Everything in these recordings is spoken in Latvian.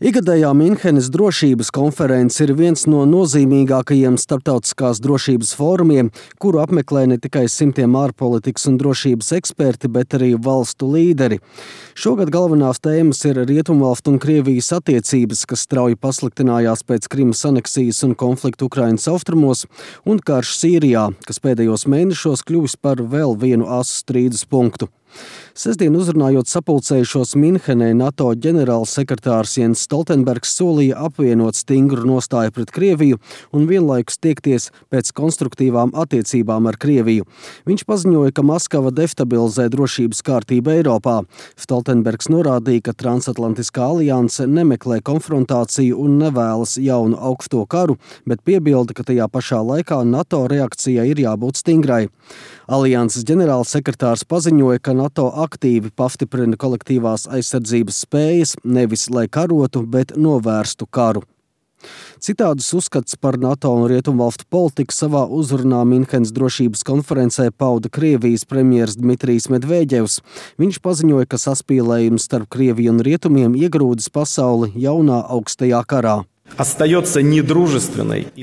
Ikgadējā Minhenes drošības konference ir viens no nozīmīgākajiem starptautiskās drošības fórumiem, kuru apmeklē ne tikai simtiem ārpolitikas un drošības eksperti, bet arī valstu līderi. Šogad galvenās tēmas ir Rietumvalstu un Krievijas attiecības, kas strauji pasliktinājās pēc Krimas aneksijas un konfliktu Ukrainas austrumos, un karš Sīrijā, kas pēdējos mēnešos kļuvis par vēl vienu asu strīdus punktu. Sestdien uzrunājot sapulcējušos Minhenē, NATO ģenerālsekretārs Jens Stoltenbergs solīja apvienot stingru nostāju pret Krieviju un vienlaikus tiekties pēc konstruktīvām attiecībām ar Krieviju. Viņš paziņoja, ka Maskava destabilizē drošības kārtību Eiropā. Stoltenbergs norādīja, ka transatlantiskā alianse nemeklē konfrontāciju un nevēlas jaunu augsto karu, bet piebilda, ka tajā pašā laikā NATO reakcijai ir jābūt stingrai. Alianses ģenerālsekretārs paziņoja, ka NATO aktīvi pastiprina kolektīvās aizsardzības spējas, nevis lai karotu, bet novērstu karu. Citādus uzskats par NATO un Rietumvalstu politiku savā uzrunā Minhenes drošības konferencē pauda Krievijas premjers Dmitrijs Medvedevs. Viņš paziņoja, ka saspīlējums starp Krieviju un Rietumiem iegrūdis pasauli jaunā augstajā karā.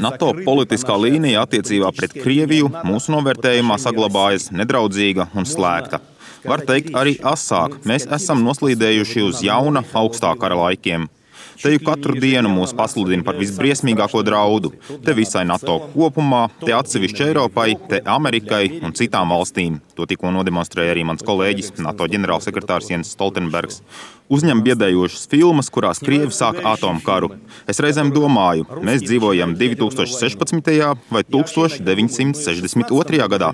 NATO politiskā līnija attiecībā pret Krieviju mūsu novērtējumā saglabājas nedraudzīga un slēgta. Var teikt arī asāk, mēs esam noslīdējuši uz jauna augstā kara laikiem. Te jau katru dienu mūs pasludina par visbriesmīgāko draudu. Te visai NATO kopumā, te atsevišķi Eiropai, te Amerikai un citām valstīm. To tikko nodemonstrēja arī mans kolēģis, NATO ģenerālsekretārs Jens Stoltenbergs. Uzņem biedējošas filmas, kurās Krievi sāk atomkaru. Es reizēm domāju, mēs dzīvojam 2016. vai 1962. gadā.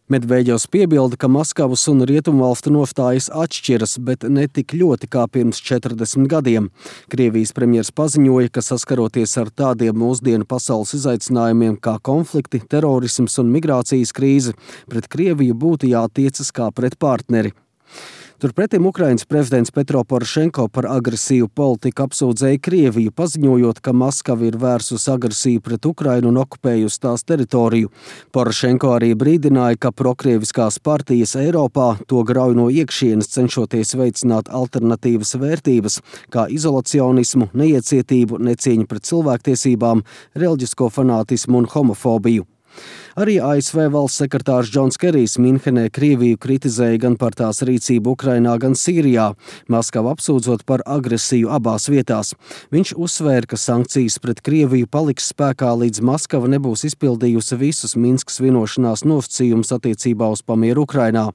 Medvedevs piebilda, ka Maskavas un Rietumvalstu nostājas atšķiras, bet ne tik ļoti kā pirms 40 gadiem. Krievijas premjers paziņoja, ka saskaroties ar tādiem mūsdienu pasaules izaicinājumiem kā konflikti, terorisms un migrācijas krīze, pret Krieviju būtu jātiecas kā pret partneri. Turpretim Ukrainas prezidents Petro Porošenko par agresīvu politiku apsūdzēja Krieviju, paziņojot, ka Maskava ir vērsusi agresiju pret Ukrainu un okupējusi tās teritoriju. Porošenko arī brīdināja, ka prokrieviskās partijas Eiropā to grauj no iekšienes, cenšoties veicināt alternatīvas vērtības, kā izolacionismu, neiecietību, necieņu pret cilvēktiesībām, reliģisko fanātismu un homofobiju. Arī ASV valsts sekretārs Džons Kerijs Minhenē Krieviju kritizēja gan par tās rīcību Ukrainā, gan Sīrijā, Maskavu apsūdzot par agresiju abās vietās. Viņš uzsvēra, ka sankcijas pret Krieviju paliks spēkā, līdz Maskava nebūs izpildījusi visus Minskas vienošanās nosacījumus attiecībā uz pamieru Ukrainā.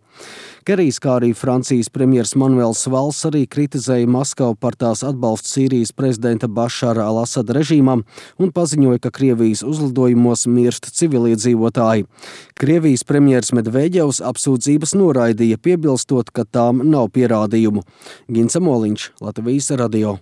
Kerijs, kā arī Francijas premjers Manuels Valls, arī kritizēja Maskavu par tās atbalstu Sīrijas prezidenta Bašara al-Asada režīmam un paziņoja, ka Krievijas uzlidojumos mirst civiliedzīvotāji. Krievijas premjers Medvedevs apsūdzības noraidīja, piebilstot, ka tām nav pierādījumu. Gins Amoliņš, Latvijas radio.